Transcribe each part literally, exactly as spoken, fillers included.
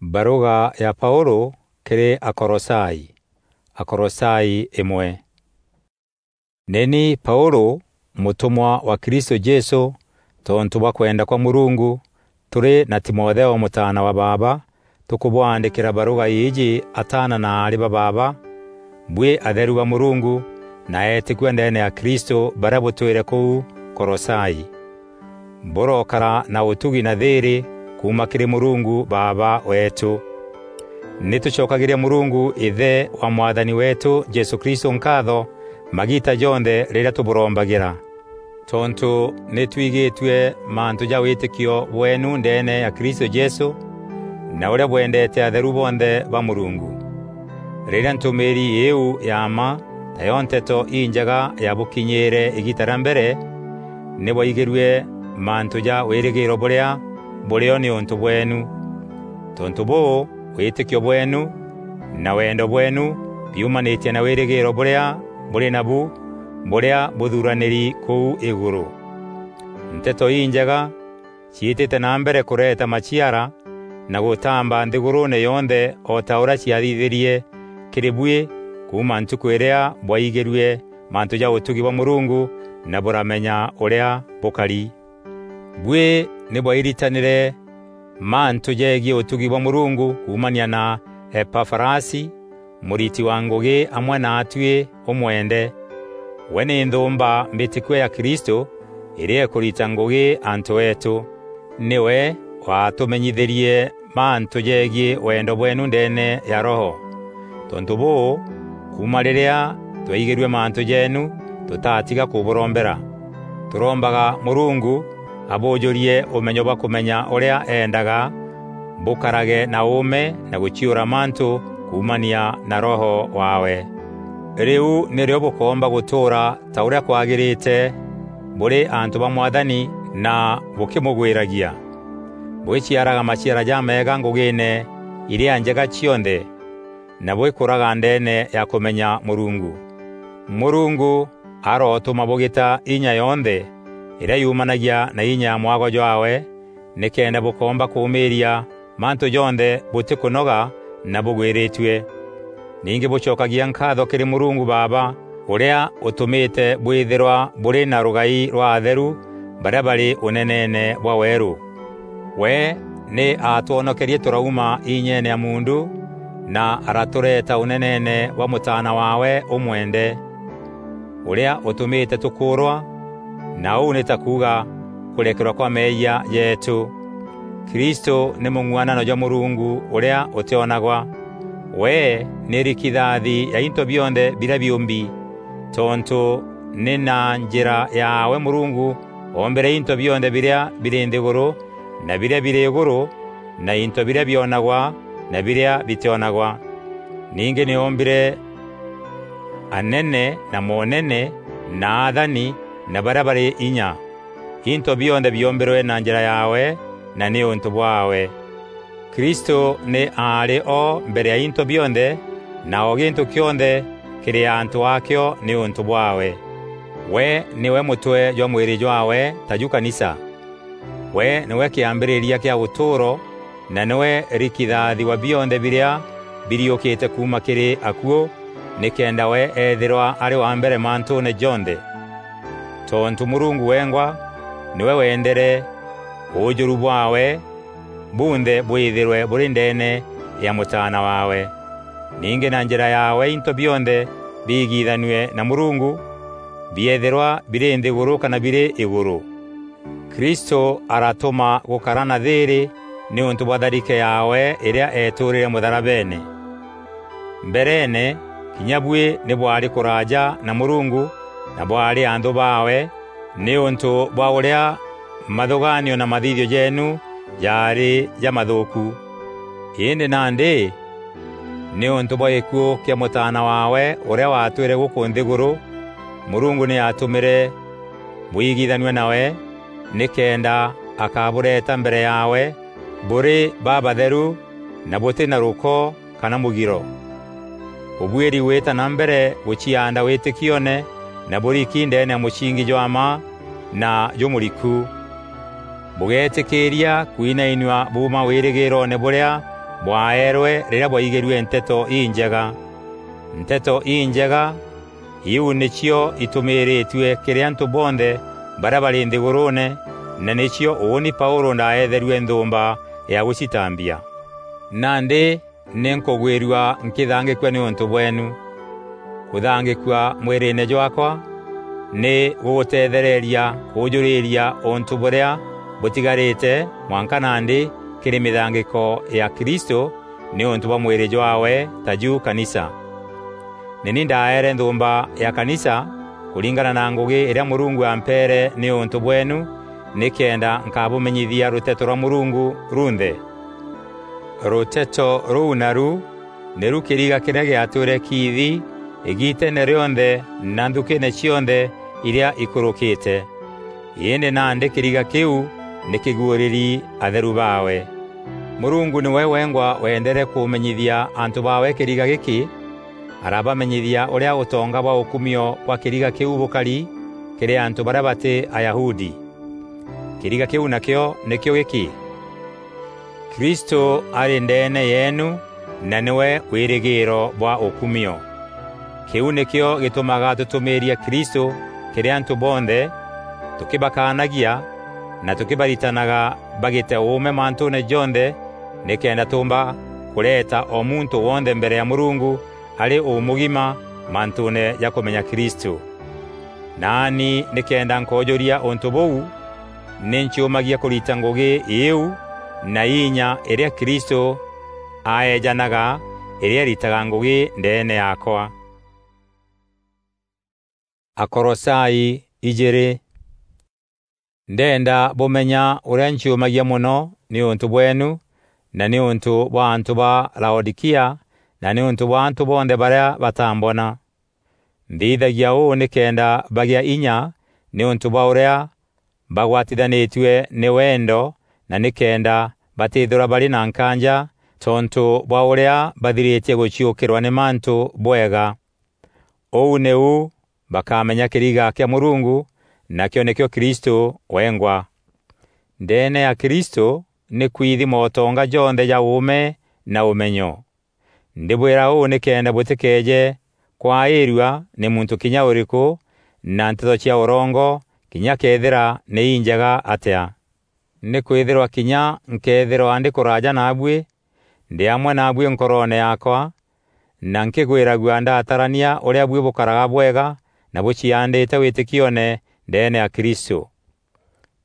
Baruga ya Paulu kiri Akolosai. Akolosai imwe. Nini Paulu, mutumwa wa Kristo Jesu, tontu bwa kwenda kwa Murungu, turi na Timotheo mutaana wa baaba, tukubwaandikira baruga iiji ataana na aari ba baaba, bui atheru ba Murungu na eetikua ndeene ya Kristo baria butwire kuu Kolosai. Burokara na utugi na thiiri kuuma kiri Murungu Baaba weetu. Ni tucokagiria Murungu Ithe wa Mwathani weetu Jesu Kristo nkaatho magiita jonthe riria tuburombagira. Tontu ni twigitue mantu ja witikio bweenu ndeene ya Kristo Jesu, na uria bwendete atheru bonthe ba Murungu. Riria ntumiiri iiu ya mma, tayo Nteto Injega yabukinyiire igiita ria mbere, ni bwaigirue mantu ja wirigiiro buria burio niuntu bweenu. Tontu buu, witikio bweenu na wendo bweenu biumanitie na wirigiiro buria buri nabu, buria buthuraniri kuu iguru. Nteto Injega ciitite na mbere kureeta maciara na gutamba nthiguruune yonthe, o ta uria ciathithirie kiri bui kuuma ntuku iria bwaigirue mantu ja utugi bwa Murungu na buramenya uria bukari. Bui ni bwairitanire mantu jegie utugi bwa Murungu kuumania na Epafarasi, muriti wa ngugi amwe naatui umwende. We ni nthuumba mbitikua ya Kristo, iria ikurita ngugi antu eetu. Niwe waatumenyithirie mantu jegie wendo bweenu ndeene ya Roho. Tontu buu, kuuma riria twaigirue mantu jeenu, tutatiga kuburombera. Turombaga Murungu abuujurie umenyo bwa kumenya uria eendaga, bukarage na uume na guciura mantu kuumania na Roho waawe. Riu nirio bukoomba gutuura ta uria kwagirite buri antu ba Mwathani na bukimugwiragia, bwiciaraga maciara jameega ngugiine iria njega cionthe, na bwikuraga ndeene ya kumenya Murungu. Murungu arotuma bugita inya yonthe iria yumanagia na inya ya mwago jwaawe, nikenda bukoomba kuumiiria mantu jonthe butikûnoga na bugwiritue. Ningi bucokagia nkaatho kiri Murungu Baaba, uria utumite bwithirwa buri na rugai rwa atheru baria bari uneneene bwa weeru. We ni aatwonokerie turauma inyeene ya muundu, na aratureeta uneneene bwa Mutaana waawe umwende, uria utumite tukuurwa, na uu ni ta kuuga kurekerwa kwa meeyia jeetu. Kristo ni mung'uanano jwa Murungu uria utionagwa. We ni rikithathi ya into bionthe biria biumbi, tontu ni na njira yaawe Murungu oombire into bionthe biria biri nthiguru na biria biri iguru, na into biria bionagwa na biria bitionagwa. Ningi ni oombire anene na moonene na athani na baria bari inya. Into bionthe biombirwe na njira yaawe na niuntu bwaawe. Kristo ni aari o mbere ya into bionthe, na o gintu kionthe kiri antu aakio niuntu bwaawe. We niwe mutwe jwa mwiri jwaawe, ta ju kanisa. We niwe kiambiriria kia utuuro, na niwe rikithathi wa bionthe biria biriukite kuuma kiri akuu, nikenda we eethirwa ari wa mbere mantuune jonthe. Tontu Murungu wengwa niwe wendere uujuru bwaawe bunthe bwithirwe buri ndeene ya Mutaana waawe. Ningi na njira yaawe into bionthe biigithanue na Murungu, bieethirwa biri nthiguru kana biri iguru. Kristo aratuma gukara na thiiri niuntu bwa tharike yaawe iria eetuurire mutharabeene. Mbereene, kinya bui ni bwaari kuraaja na Murungu na bwaari anthu baawe niuntu bwa uria mathugaanio na mathithio jeenu jaari jamathuuku. Indi nandi, niuntu bwa gikuu kia Mutaana waawe uria waatwire guku nthiguru, Murungu ni aatumire bwigithanue nawe, nikenda akabureeta mbere yaawe buri babatheru na buti na ruko kana mugiro. Ubuiri gwita na mbere gucianda witikioone na buriki ndeene ya mucingi jwa mma na jumuriku. Bugeetikiiria kwinainua buuma wirigiroone buria bwaeerwe rîrîa bwaigîrue Nteto Injega. Nteto Injega iu nîcio itumiiritue kîrî antû bonthe barîa barî nthîgûrûûne, na nîcio ûûni Paûlû ndaeetherue nthûûmba ya gûcitambia. Nandî nî nkûgwîrua nkîthangîkua nîûntû bweenu. Kûthangîkua mwîrîîne jwaakwa nî gûgûteethereria kûûjûrîîria ûntû bûrîa bûtigarîte mwanka nandî kîrî mîthangîko ya Kristû nîûntû bwa mwîrî jwaawe, taju kanisa. Nî ni ndaeere nthûûmba ya kanisa kûringana na ngûgî îrîa Mûrungu ampeere nîûntû bweenu, nîkenda nkabûmenyithia rûteto rwa Mûrungu runthe. Rûteto rûu naru nîru kîriga kîrîa gîatwîre kiithi îgiiteene rîonthe na nthukîîne cionthe irîa ikûrûkîte. Îndî nandî kîriga kîu nî kîguûrîri atheru baawe. Mûrungu nîwe wengwa wendere kûmenyithia antû baawe kîriga gîkî, arabamenyithia ûrîa ûtonga bwa ûkumio bwa kîriga kîu bûkari kîrî antû barîa batî Ayahudi. Kîriga kîu nakîo nîkîo gîkî: Kristû arî ndeene yeenu, na nîwe wîrîgîîro bwa ûkumio. Kîu nîkîo gîtûmaga tûtûmîîria Kristû kîrî antû bonthe, tûkîbakaanagia na tûkîbaritanaga bagîte ûûme mantûûne jonthe, nîkenda tûûmba kûreeta o muntû wonthe mbere ya Mûrungu arî ûmûgima mantûûne ja kûmenya Kristû. Naani nîkenda nkoojûria ûntû bûu, nî nciûmagia kûrita ngûgî îîu na inya îrîa Kristû aeejanaga îrîa îritaga ngûgî ndeene yaakwa. Akolosai ijîîrî. Ndenda bûmenya ûrîa nciûmagia mono nîûntû bweenu, na nîûntû bwa antû ba Laodikia, na nîûntû bwa antû bonthe barîa batambona. Nthithagia ûû nîkenda bagîa inya nîûntû bwa ûrîa bagwatithanîtue nî wendo, na nîkenda batîthîrwa barî na nkaanja tontû bwa ûrîa bathirîtie gûciûkîrwa nî mantû bwega. Ûu nîu bakamenya kîriga kîa Mûrungu, nakîo nîkîo Kristû wengwa. Ndeene ya Kristû nî kwithi motonga jonthe ja ûûme na ûmenyo. Ndîbwîra ûû nîkenda bûtîkeeje kwaîrua nî muntû kinya ûrîkû na nteto cia ûrongo, kinya këethîra nî injega atîa. Nîkwîthîrwa kinya nkëethîrwa ndî kûraaja naabuî, ndî amwe naabuî nkoroone yaakwa, na nkîgwîragua ndatarania ûrîa buî bûkaraga bwega na bûciaandîte wîtîkioone ndeene ya Kristû.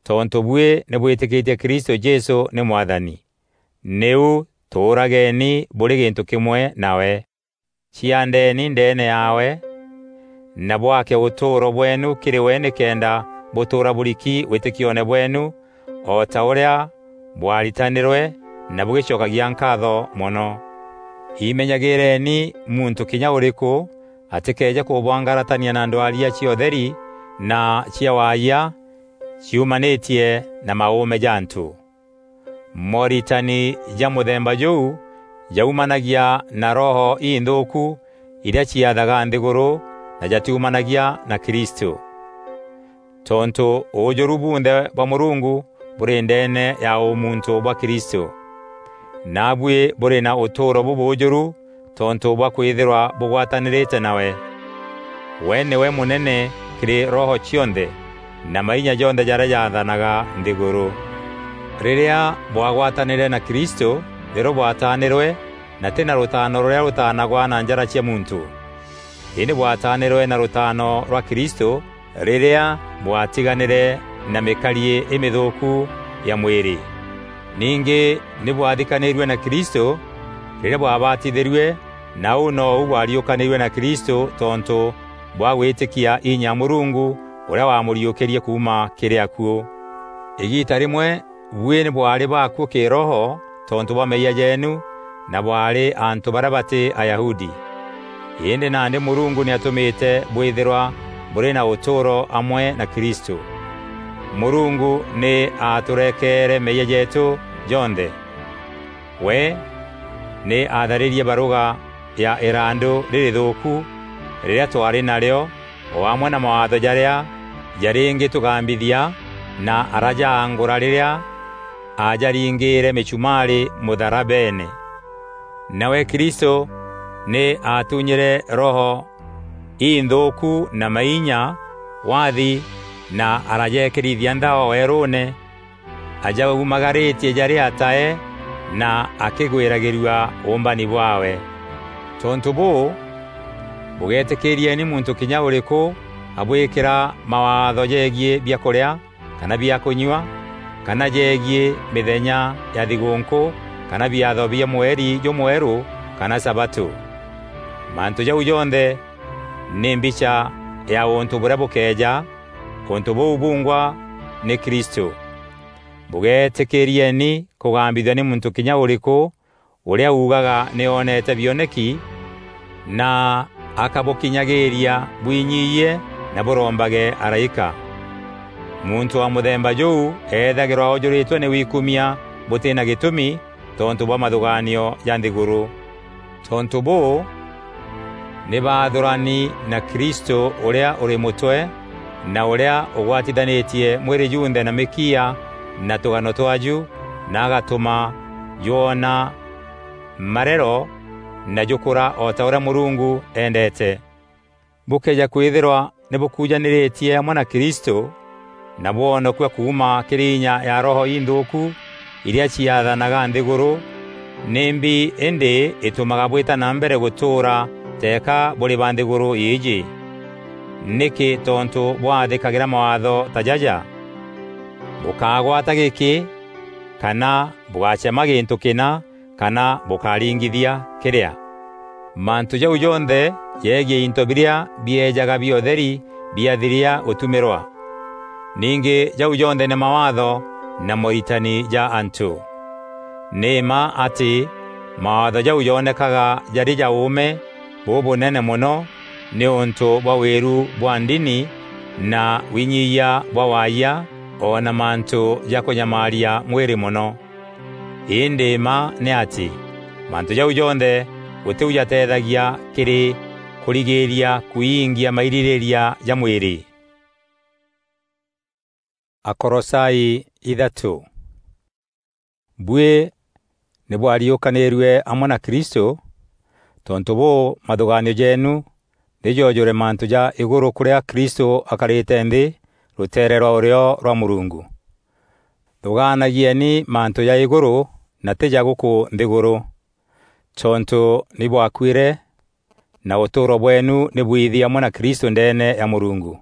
Tontû buî nî bwîtîkîtie Kristû Jesû nî Mwathani, nîu tûûrageeni bûrî gîntû kîmwe nawe. Ciaandeeni ndeene yaawe, na bwake ûtûûro bweenu kîrî we nîkenda bûtûûra bûriki wîtîkioone bweenu, o ta ûrîa bwaritanîrwe na bûgîcokagia nkaatho mono. Imenyagîîreeni muntû kinya ûrîkû atîkeeje kûbwangaratania na ndwaria cia ûtheri na cia waayia ciumanîtie na maûûme ja antû. Moritani ja mûthemba jûu jaumanagia na roho inthûûku irîa ciathaga nthîgûrû na jatiumanagia na Kristû. Tontû ûûjûru bunthe bwa Mûrungu bûrî ndeene ya ûmuntû bwa Kristû, naabuî bûrî na ûtûûro bûbûûjûru tontû bwa kwîthîrwa bûgwatanîrîte nawe. We nîwe mûnene kîrî roho cionthe na mainya jonthe jarîa jaathanaga nthîgûrû. Rîrîa bwagwatanîre na Kristû, nîrîo bwataanîrwe, na tî na rûtaano rûrîa rûtaanagwa na njara cia muntû. Îndî bwataanîrwe na rûtaano rwa Kristû rîrîa bwatiganîre na mîkariî îmîthûûku ya mwîrî. Ningî nî bwathikanîrue na Kristû rîrîa bwabatithîrue, na ûu nou bwariûkanîrue na Kristû tontû bwa gwîtîkia inya Mûrungu ûrîa wamûriûkîrie kuuma kîrî akuû. Îgiita rîmwe buî nî bwaarî bakuû kîroho tontû bwa meeyia jeenu, na bwaarî antû barîa batî Ayahudi. Îndî nandî Mûrungu nî atûmîte bwîthîrwa bûrî na ûtûûro amwe na Kristû. Mûrungu nî aatûrekeere meeyia jeetû jonthe. We nî aatharîrie barûga ya îrandû rîrîthûûku rîrîa twaarî narîo, o amwe na mawaatho jarîa jarîngîtûgambithia, na arajaangûra rîrîa aajaringîîre mîchumaarî mûtharabeene. Nawe Kristû nî aatunyîre roho inthuûku na mainya wathi na arajeekîrithia nthao weerûûne, ajaumagarîtie jarî atae na akîgwîragîrua ûûmbani bwaawe. Tontû bûû, bûgeetîkîrieni muntû kinya ûrîkû abwîkîra mawaatho jegiî biakûrîa kana bia kûnyua, kana jegiî mîthenya ya thigûûnkû, kana biatho bia mweri jûmwerû, kana sabatû. Mantû jau jonthe nî mbicha ya ûntû bûrîa bûkeeja, ûntû bûu bungwa nî Kristû. Bûgeetîkîrieni kûgambithua nî muntû kinya ûrîkû ûrîa uugaga nî oonete bioneki na akabûkinyagîîria bwinyiiyie na bûrombage araîka. Muntû wa mûthemba jûu eethagîrwa oojûrîtwe nî wikumia bûtî na gîtûmi tontû bwa mathûgaanio ja nthîgûrû. Tontû bûû, nî baathûrani na Kristû ûrîa ûrî mûtwe, na ûrîa ûgwatithanîtie mwîrî junthe na mîkiia na tûgano twaju, na agatûma jwoona marero na jûkûra o ta ûrîa Mûrungu endeete. Bûkëeja kwîthîrwa nî bûkujanîrîtie amwe na Kristû na bwonokua kuuma kîrî inya ya roho inthûûku irîa ciathanaga nthîgûrû, nîmbi îndî îtûmaga bwîta na mbere gûtûûra teeka bûrî ba nthîgûrû îîjî? Nîkî tontû bwathîkagîra mawaatho ta jaja? Bûkágwata gîkî, kana bûgacema gîntû kîna, kana bûkaringithia kîrîa. Mantû jau jonthe jegiî into birîa bieejaga bia ûtheri biathiria gûtumîrwa. Ningî jau jonthe nî mawaatho na moritani ja antû. Nî mma atî mawaatho jau joonekaga jarî ja ûûme bûbûnene mono nîûntû bwa wîru bwa ndini na winyiyia bwa waayia, o na mantû ja kûnyamaaria mwîrî mono. Îndî mma nî atî, mantû jau jonthe gûtî u jateethagia kîrî kûrigîîria kwiingia mairîrîîria ja mwîrî. Akolosai ithatû. Buî nî bwariûkanîrue amwe na Kristû, tontû bûû, mathûgaanio jeenu nî joojûre mantû ja îgûrû kûrîa Kristû akarîte nthî rûteere rwa ûrîo rwa Mûrungu. Thûgaanagieni mantû ja îgûrû na tî ja gûkû nthîgûrû, tontû nî bwakuîre, na ûtûûro bweenu nî bwiithi amwe na Kristû ndeene ya Mûrungu.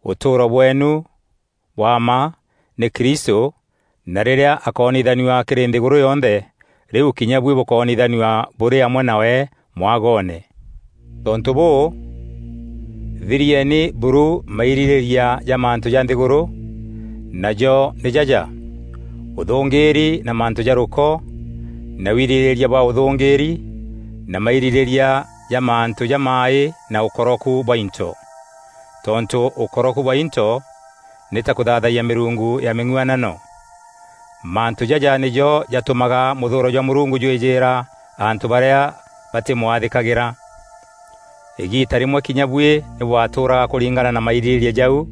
Ûtûûro bweenu bwa mma nî Kristû, na rîrîa akoonithanua kîrî nthîgûrû yonthe, rîu kinya buî bûkoonithanua bûrî amwe nawe mwagoone. Tontû bûû, thirieni buru mairîrîîria ja mantû ja nthîgûrû, najo nî jaja: ûthûngîîri na mantû ja rûko, na wirîrîîria bwa ûthûngîîri, na mairîrîîria ja mantû jamaaî na ûkoroku bwa into. Tontû ûkoroku bwa into nî ta kûthaathayia mîrungu ya mîng'uanano. Mantû jaja nîjo jatûmaga mûthûûro jwa Mûrungu jwîjîîra antû barîa batîmwathîkagîra. Îgiita rîmwe kinya buî nî bwatûûraga kûringana na mairîrîîria jau,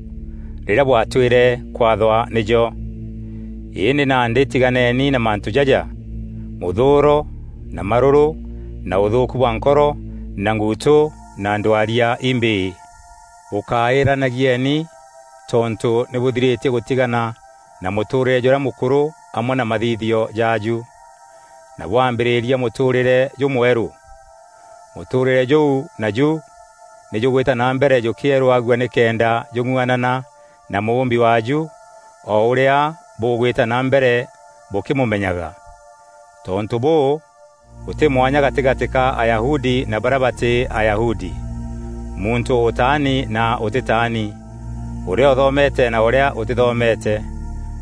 rîrîa bwatwîre kwathwa nîjo. Îndî nandî tiganeni na mantû jaja: mûthûûro, na marûrû, na ûthûûku bwa nkoro, na nguutû, na ndwaria imbîî. Bûkaîranagieni, tontû nî bûthirîtie gûtigana na mûtûûrîre jûrîa mûkûrû amwe na mathithio jaaju, na bwambîrîria mûtûûrîre jûmwerû. Mûtûûrîre jûu naju nî jûgwîta na mbere jûkîerûagua nîkenda jûng'uanana na Mûûmbi waaju, o ûrîa bûgwîta na mbere bûkîmûmenyaga. Tontû bûû, gûtî mwanya gatîgatî ka Ayahudi na barîa batî Ayahudi, muntû ûtaani na ûtîtaani, ûrîa ûthomete na ûrîa ûtîthomete,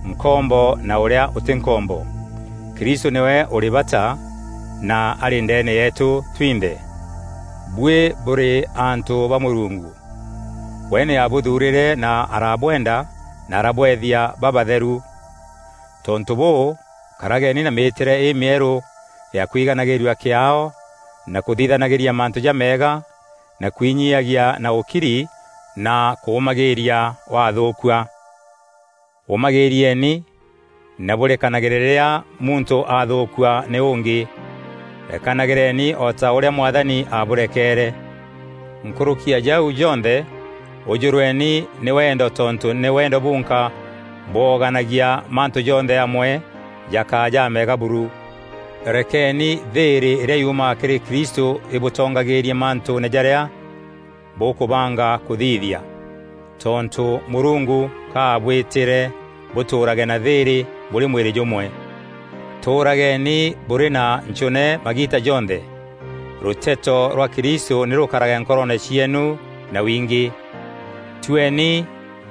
nkombo na ûrîa ûtî nkombo. Kristû nîwe ûrî bata na arî ndeene yeetû twinthe. Buî bûrî antû ba Mûrungu. We nî aabûthuurîre na arabwenda na arabweethia babatheru. Tontû bûû, karageni na mîîtîre îmîerû ya kwiganagîrua kîaao na kûthithanagîria mantû jameega na kwinyiiagia na ûkiri na kûûmagîîria wathûûkua. Ûmagîîrieni na bûrekanagîre rîrîa muntû athûûkua nî ûngî. Rekanagîreni o ta ûrîa Mwathani abûrekeere. Nkûrûki ya jau jonthe, ûjûrweni nî wendo, tontû nî wendo bunka bwoganagia mantû jonthe amwe jakaa jamega buru. Rekeni thîîrî îrîa yuumaga kîrî Kristû îbûtongagîîrie mantûûne jarîa bûkûbanga kûthithia, tontû Mûrungu ka abwîtîre bûtûûrage na thîîrî bûrî mwîrî jûmwe. Tûûrageni bûrî na ncûne magiita jonthe. Rûteto rwa Kristû nî rûkarage nkoroone cieenu na wingî. Tueni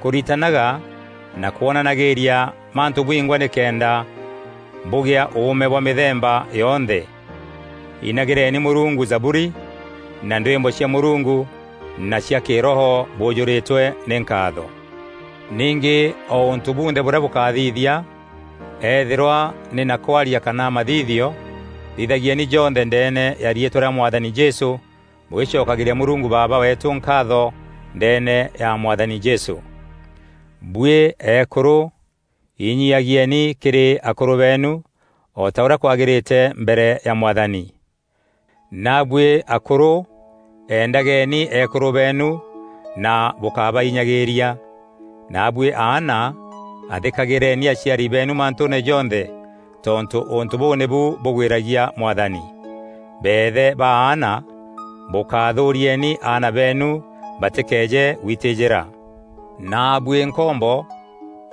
kûritanaga na kwonanagîîria mantû bwingwa nîkenda bûgîa ûûme bwa mîthemba yonthe. Inagîreni Mûrungu zaburi na ndwîmbo cia Mûrungu na cia kîroho bûûjûrîtwe nî nkaatho. Ningî o ûntû bunthe bûrîa bûkathithia, ethîrwa nî na kwaria kana mathithio, thithagieni jonthe ndeene ya riîtwa rîa Mwathani Jesû, bûgîcokagîria Mûrungu Baaba weetû nkaatho ndeene ya Mwathani Jesû. Buî eekûrû, inyiagieni kîrî akûrû beenu, o ta ûrîa kwagîrîte mbere ya Mwathani. Naabuî akûrû, endageni eekûrû beenu na bûkabahinyagîîria. Naabuî aana, athîkagîreni aciari beenu mantûûne jonthe, tontû ûntû bûu nîbu bûgwîragia Mwathani. Beethe ba aana, bûkathûûrieni aana beenu batîkeeje gwitîjîra. Naabuî nkombo,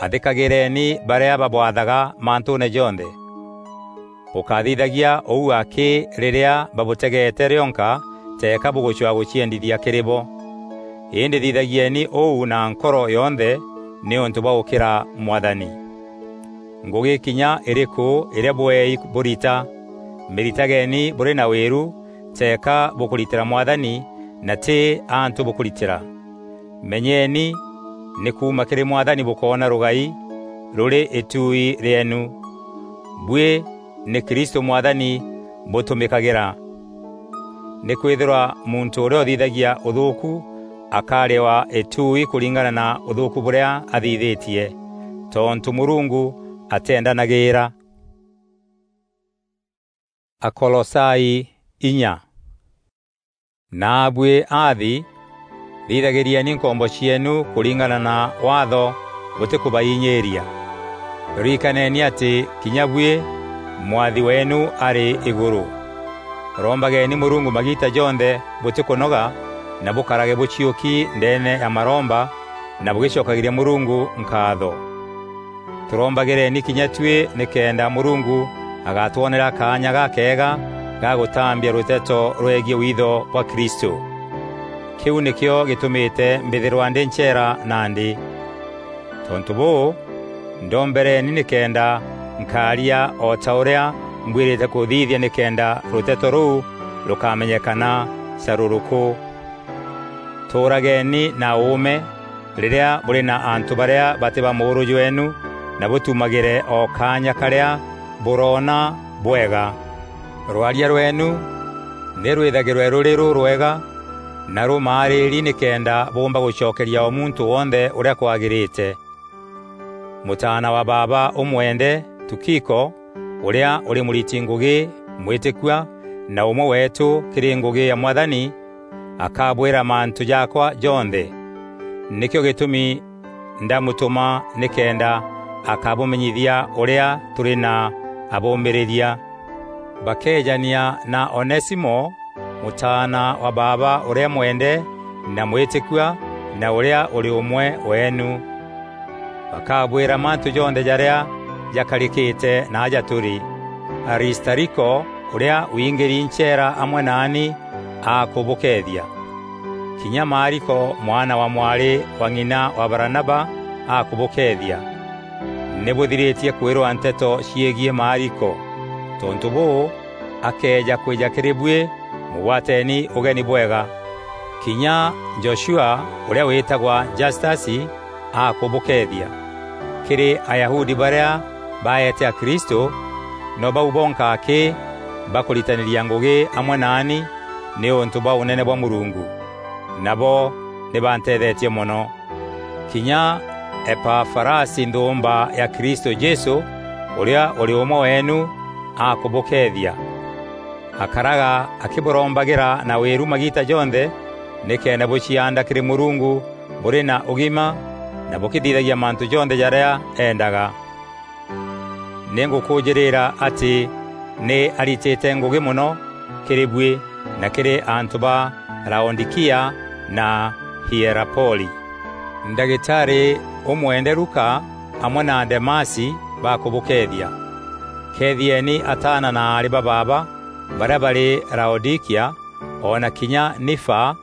athîkagîreni barîa babwathaga mantûûne jonthe. Bûkathithagia ûu akî rîrîa babûtegeete rîonka, teeka bûgûcwaa gûciendithia kîrî bo. Îndî thithagieni ûu na nkoro yonthe nîûntû bwa gûkîra Mwathani. Ngûgî kinya îrîkû îrîa bweei bûrita, mîritageni bûrî na wîru, teeka bûkûritîra Mwathani na tî antû bûkûritîra. Menyeni, nî kuuma kîrî Mwathani bûkoona rûgai rûrî îtuui rîeenu. Buî nî Kristû Mwathani bûtûmîkagîra. Nîkwîthîrwa muntû ûrîa ûthithagia ûthûûku akarîwa îtuui kûringana na ûthûûku bûrîa athithîtie, tontû Mûrungu ateendanagîîra. Akolosai inya. Naabuî aathi, thithagîrieni nkombo cieenu kûringana na waatho bûtîkûbainyiîria. Ririkaneni atî kinya buî Mwathi weenu arî îgûrû. Rombageni Mûrungu magiita jonthe bûtîkûnoga, na bûkarage bûciûki ndeene ya maromba na bûgîcokagîria Mûrungu nkaatho. Tûrombagîreni kinya tuî nîkenda Mûrungu agatwonera kaanya gakeega ga gûtambia rûteto rwegiî witho bwa Kristû. Kîu nîkîo gîtûmîte mbîthîrwa ndî ncheera nandî. Tontû bûû, ndombereni nîkenda nkaaria o ta ûrîa mbwîrîte kûthithia nîkenda rûteto rûu rûkamenyekana carûrûkû. Tûûrageni na ûûme rîrîa bûrî na antû barîa batî ba mûûrû jweenu, na bûtumagîre o kaanya karîa bûroona bwega. Rwaria rweenu nî rwîthagîrwe rûrî rûrwega na rûmaarîri nîkenda bûûmba gûcokeria o muntû wonthe ûrîa kwagîrîte. Mûtaana wa baaba ûmwende, Tukiko, ûrîa ûrî mûriti ngûgî mwîtîkua na ûmwe weetû kîrî ngûgî ya Mwathani, akabwîra mantû jaakwa jonthe. Nîkîo gîtûmi ndamûtûma nîkenda akabûmenyithia ûrîa tûrî na abûmîrîria. Bakeejania na Onesimo, mûtaana wa baaba ûrîa mwende na mwîtîkua na ûrîa ûrî ûmwe weenu. Bakabwîra mantû jonthe jarîa jakarîkîte na aja tûrî. Aristariko, ûrîa wingîri ncheera amwe naani, akûbûkeethia. Kinya Maariko, mwana wa mwarî wa ng'ina wa Baranaba, akûbûkeethia. Nî bûthirîtie kwîrwa nteto ciegiî Maariko. Tontû bûû, akeeja kwîja kîrî buî, mûgwateni ûgeni bwega. Kinya Joshua, ûrîa wîtagwa Jastasi, akûbûkeethia. Kîrî Ayahudi barîa baeete Akristû, no bau bonka akî bakûritanîria ngûgî amwe naani nîûntû bwa ûnene bwa Mûrungu. Nabo nî banteethetie mono. Kinya Epafarasi nthûûmba ya Kristû Jesû, ûrîa ûrî ûmwe weenu, akûbûkeethia. Akaraga akîbûrombagira na wîru magiita jonthe, nîkenda bûcianda kîrî Mûrungu bûrî na ûgima na bûkîthithagia mantû jonthe jarîa eendaga. Nî ngûkûûjîrîîra atî nî aritîte ngûgî mono kîrî buî na kîrî antû ba Laodikia na Hierapoli. Ndagîtarî ûmwende Luka amwe na Demasi bakûbûkeethia. Keethieni ataana na aarî ba baaba barîa barî Laodikia, o na kinya Nifa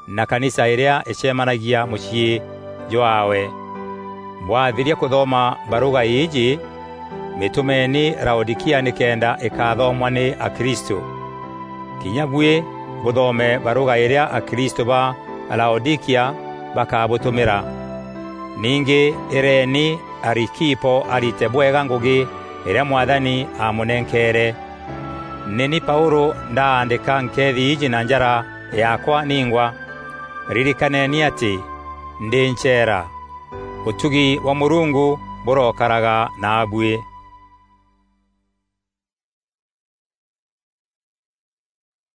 na kanisa îrîa îcemanagia mûciî jwaawe. Bwathiria kûthoma barûga îîjî, mîtûmeeni Laodikia nîkenda îkathomwa nî Akristû. Kinya buî bûthome barûga îrîa Akristû ba Laodikia bakabûtûmîra. Ningî îreeni Arikipo arite bwega ngûgî îrîa Mwathani aamûnenkeere. Nî ni Paûlû ndaandîka nkeethi iji na njara yaakwa ningwa. Ririkaneni atî ndî ncheera. Ûtugi bwa Mûrungu bûrokaraga naabuî.